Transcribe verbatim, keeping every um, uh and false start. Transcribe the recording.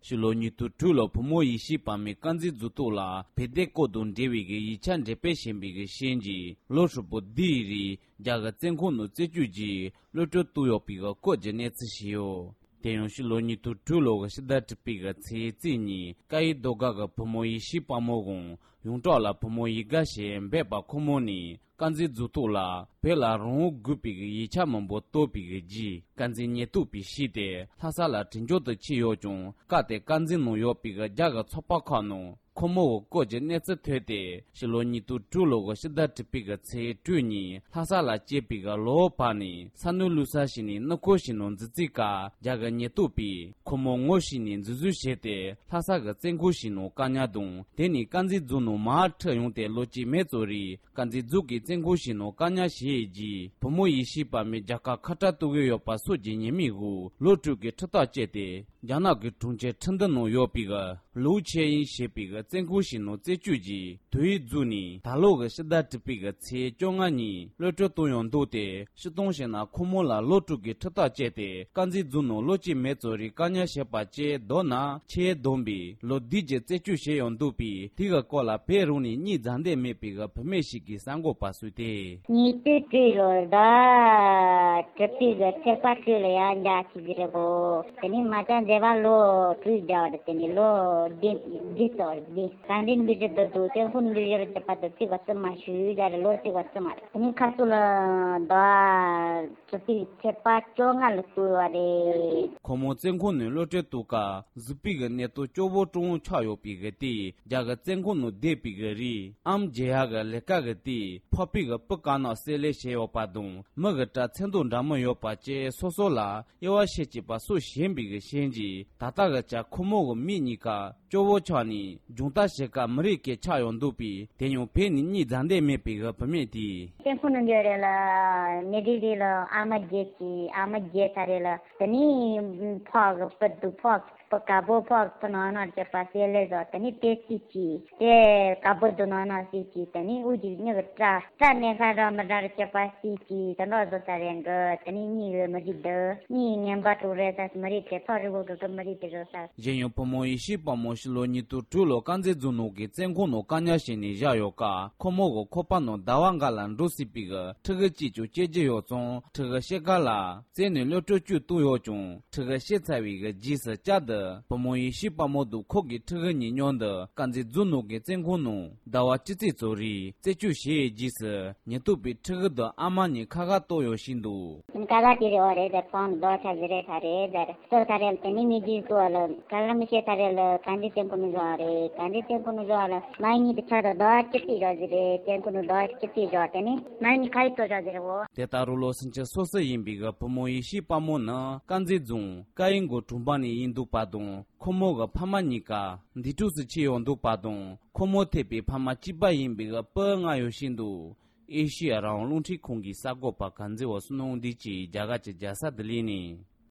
ཕྱི་ལོ་ཉིས་སྟོང་དྲུག་ལོར་བུ་མོ་ཡེ་ཤེས་དཔལ་མོས་དཀར་མཛེས་རྫོང་ཐོག་ལ་བོད་དོན་སྐོར་དང་འབྲེལ་བའི་གི་ཡིག་ཆ་འགྲེམས་སྤེལ་བྱས་པའི་གི་རྐྱེན་གྱིས་ལོ་ཧྲིལ་པོ་འདིའི་རིང་རྒྱ་གར་བཙོན་ཁང་ནང་རྩད་གཅོད་ཀྱིས་གློད་གྲོལ་བཏང་ཡོད་པའི་གི་སྐོར་གྱི་གནས་ཚུལ་ཞིག་ཡོད། དེ་ཡང་ཕྱི་ལོ་ཉིས་སྟོང་དྲུག་ལོ་གི་ཕྱི་ཟླ་དྲུག་པའི་གི་ཚེས་གཅིག་ཉིན་ཀ་ཡེ་རྡོ་སྒར་གི་བུ་མོ་ཡེ་ཤེས་དཔལ་མོ་དང་ཡོངས་གྲགས་ལ་བུ་མོ་ཡེ་དགའ་ཞེས་འབོད་པ་ཁོ་མོ་ནི་དཀར་མཛེས་རྫོང་ཐོག་ལ་བོད་ལ་རང་དབང་དགོས་པའི་གི་ཡིག་ཆ་མང་པོ་བཏང་བའི་གི་རྗེས་དཀར་མཛེས་ཉེན་རྟོག་པས་ཞུས་ཏེ་ལྷ་ས་ལ་དྲིན་འཇོག་ཏུ་ཁྲིད་ཡོད་ཀྱང་སྐབས་དེར་དཀར་མཛེས་ནང་ཡོད་པའི་གི་རྒྱ་གི་ཚོགས་པ་ཁག་ནང་ཁོ་མོ་གི་སྐོར་གྱི་གནས་ཚུལ་ཐོས་ཏེ་ཕྱི་ལོ་ཉིས་སྟོང་དྲུག་ལོ་གི་ཕྱི་ཟླ་དྲུག་པའི་གི་ཚེས་དྲུག་ཉིན་ལྷ་ས་ལ་སྐྱེས་པའི་གི་ལོ་བར་ནས་ས་ནུ་ལུ་ས་ཞིག་ནས་གནས་སྐོར་ཞིག་ནང་འཛུལ་རྩིས་ཀ་རྒྱ་གི་ཉེན་རྟོག་པས་ཁོ་མོ་ངོ་ཤེས་ནས་འཛིན་བཟུང་བྱས་ཏེ་ལྷ་ས་གི་བཙོན་ཁང་ཞིག་ནང་བཀག་ཉར་དང་དེ་ནས་དཀར་མཛེས་རྫོང་ནང་མར་ཁྲིད་ཡོང་སྟེ་ལོ་གཅིག་མེད་ཙམ་རིང་དཀར་མཛེས་རྫོང་གི་བཙོན་ཁང་ཞིག་ནང་བཀག་ཉར་བྱས་རྗེས་བུ་མོ་ཡེ་ཤེས་དཔལ་མོས་རྒྱ་གར་ཁ་བྲལ་གཏོང་གི་ཡོད་པ་སོགས་ཀྱི་ཉེས་མིང་འོག་གློད་གྲོལ་གྱི་ཁྲིམས་ཐག་བཅད་དེ། རྒྱ་ནག་གི་གྲོང་ཁྱེར་ཁྲིན་ཏུའུ་ནང་ཡོད་པའི་གི་ལུའུ་ཆེ་ཡིན་ཞེས་པའི་གི་བཙོན་ཁང་ཞིག་ནང་རྩད་གཅོད་ཀྱིས་དུས་ཡུན་རྫོགས་ནས་ད་ལོ་གི་ཕྱི་ཟླ་དྲུག་པའི་གི་ཚེས་བཅོ་ལྔ་ཉིན་གློད་གྲོལ་བཏང་ཡོད་འདུག་སྟེ། སྤྱིར་བཏང་བཤད་ན་ཁོ་མོ་ལ་གློད་གྲོལ་གྱི་ཁྲིམས་ཐག་བཅད་དེ་དཀར་མཛེས་རྫོང་ནང་ལོ་གཅིག་མེད་ཙམ་རིང་བཀག་ཉར་བྱས་པ་བཅས་མདོར་ན་ཆེས་བསྡོམས་པའི་ལོ་བདུན་གྱི་རྩད་གཅོད་བྱས་ཡོད་འདུག་པས་དེ་གི་སྐོར་ལ་བོད་རང་ནས་གཉིད་རྫ་འདེད་མེད་པའི་གི་བུད་མེད་ཞིག་གིས་གསར་འགོད་པ་སུས་ཏེ། ཉིས་སྟོང་དྲུག་ལོར་ཟླ་དྲུག་པའི་གི་ཚེས་པ་དྲུག་ལ་ཡང་འཇགས་ཀྱི་རེད་གོ། དེ་ནས་མ་ཅང་མཛད་པ་ལོ་དྲུག་རྒྱ་བར་དེ་ནས་ལོ་བདུན་བདུན་ཙམ་རེད། གང་འདྲའི་འདུ་བྱེད་དུ་འདུག་སེམས་ཁུར་འདུ་བྱེད་ལ་བྱེད་པ་དུ་ཚིག་པ་ཙི་མ་ཞུས་རྒྱ་རེད་ལོ་ཚིག་པ་ཙི་མ་རེད། དེ་ནས་ཁ་སུ་ལ་ཟླ་དྲུག་པའི་ཚེས་པ་བཅོ་ལྔ་ལ་བསྐུལ་བ་རེད། ཁོ་མོ་བཙོན་ཁང་ནས་གློད་གྲོལ་དུས་སྐབས་གཟིགས་པའི་གི་གནས་སྟངས་སྐྱོ་བོ་ཀྲུང་ཆགས་ཡོད་པའི་གི་དེ། རྒྱ་གི་བཙོན་ཁང་ནང་བསྡད་པའི་གི་རིང་ཨམ་བརྗེ་ཡག་གི་ལས་ཀ་གི་དེ་ཕོར་པའི་གི་སྤུ་དཀར་ནག་བསྲེས་ལེ་བྱས་ཡོད་པ་དང་མི་གི་སྐྲ་ཚེར་མདོག་འདྲ་མི་ཡོད་པ་བཅས་སོ་སོ་ལ་དབྱེ་བ་ཕྱེ་བྱེད་པ་སོགས་བྱིན་པའི་གི་རྐྱེན་གྱིས་ད་ལྟ་གི་ཆ་ཁོ་མོ་གི་མིག་གཉིས་ཀ་སྐྱོ་བོ་ཆགས་ནས་སྦྱོང་བརྡར་བྱེད་སྐབས་མི་རིགས་སྐད་ཆགས་ཡོང་འདུག་པས་དེ་ཡང་བོད་ནས་གཉིད་རྫ་འདེད་མེད་པའི་གི་བུད་མེད་དེས། བཙོན་ཁང་ནང་འགྱོ་རེད་ལ་ནེ་ལྡི་ལི་ལ་ཨ་མ་བརྗེ་གི་ཨ་མ་བརྗེ་ཚར་རེད་ལ་དེ་ནས་ཕོག་གི་སྤུ་འདུག་ཕོག་སྤུ་དཀར་པོ་ཕོག་སྤུ་ནག་ནག་བྱས་པ་བསྲེས་ལེ་བཟོ། དེ་ནས་དེ་གཅིག་གྱིས་དེ་དཀར་པོ་འདུག་ནག་ནག་གཅིག་གྱིས་དེ་ནས་དབུགས་ཀྱི་མྱི་གི་སྐྲ་སྐྲ་གནས་ཁ་ར་མི་འདྲ་ར་བྱས་པ་གཅིག་གྱིས་དེ་འདྲ་བཟོ་ས་རེད་གི། དེ་ནས་གཉིད་ཡོད་མི་རིགས་འདུག་གཉིད་ངན་པ་དྲུག་རེད་ས་མི་རིགས་དེ་ཐོག་རི་བོ་གི་གི་མི་རིགས་དེ་བཟོ་ས། གཞན་ཡང་བུ་མོ་ཡེ་ཤེས་དཔལ་མོ་ཕྱི་ལོ་ཉིས་སྟོང་དྲུག་ལོར་དཀར་མཛེས་རྫོང་ནང་གི་བཙོན་ཁང་ནང་བཀག་ཉར་བྱས་ནས་བཞག་ཡོད་སྐབས་ཁོ་མོ་གི་ཁོག་པ་ནང་ཟླ་བ་འགའ་ལ་འགྲོ་སྲིད་པའི་གི་ཕྲུ་གུ་གཅིག་ཀྱང་སྐྱེ་རྒྱུ་ཡོད་ཙང་ཕྲུ་གུ་སྐྱེ་ག་ལ། བཙོན་ནས་གློད་གྲོལ་བཅུག་བཏང་ཡོད་ཀྱང་ཕྲུ་གུ་སྐྱེས་ཚར་བའི་གི་རྗེས་སུ་བསྐྱར་དུ་བུ་མོ་ཡེ་ཤེས་དཔལ་མོ་དང་ཁོ་གི་ཕྲུ་གུ་གཉིས་མཉམ་དུ་དཀར་མཛེས་རྫོང་ནང་གི་བཙོན་ཁང་ནང་ཟླ་བ་གཅིག་ཙམ་ཙམ་རིང་རྩད་གཅོད་བྱས་རྗེས་སུ་ཉེན་རྟོག་པས་ཕྲུ་གུ་དང་ཨ་མ་གཉིས་ཁ་ཁ་གཏོར་ཡོད་བཞིན་འདུག་ཀ་ཁ་དེ་རེད་འོ་རེད་ཟེར་ཁོང་རྡོ་ཆ་ཟེར་རེད་ད་རེད་ཟེར་གཏོར་ད་རེད་དེ་ནི་མི་རྗེས་སུ་བ་ལ་ཀ་ཁ་མི་ཤེས་ད་རེད་ལ་ག་འདྲི་བཙོན་ཁང་ནང་བཞག་རེད་ག་འདྲི་བཙོན་ཁང་ནང་བཞག་ལ་མ་གཉིས་དེ་ཆ་དང་རྡོ་ཆ་གཅིག་བཞག་ཟེར་རེད་བཙོན་ཁང་ནང་རྡོ་ཆ་གཅིག་བཞག་དེ་ནི་མ་གཉིས་ཁ་ཡི་གཏོར་བཞག་ཟེར་རེད་འོ། དེ་ལྟར་རུ་ལོ་སུམ་ཅུ་སོ་གསུམ་ཡིན་པའི་གི་བུ་མོ་ཡེ་ཤེས་དཔལ་མོ་ནི་དཀར་མཛེས་རྫོང་ཀ་ཡེ་མགོ་གྲོང་པ་ནས་ཡིན་འདུག་པ་དང་ཁོ་མོ་གི་ཕ་མ་གཉིས་ཀ་འདས་གྲོངས་སུ་ཕྱིན་ཡོད་འདུག་པ་དང་ཁོ་མོ་ཐེ་བའི་ཕ་མ་གཅིག་པ་ཡིན་པའི་གི་སྤུན་ལྔ་ཡོད་བཞིན་འདུག་ཨེ་ཤི་ཡ་རང་དབང་རླུང་འཕྲིན་ཁང་གི་གསར་འགོད་པ་གངས་འཛིན་བ་བསོད་ནམས་བདེ་སྐྱིད་རྒྱ་གར་གྱི་རྒྱལ་ས་ལྡི་ལི་ནས།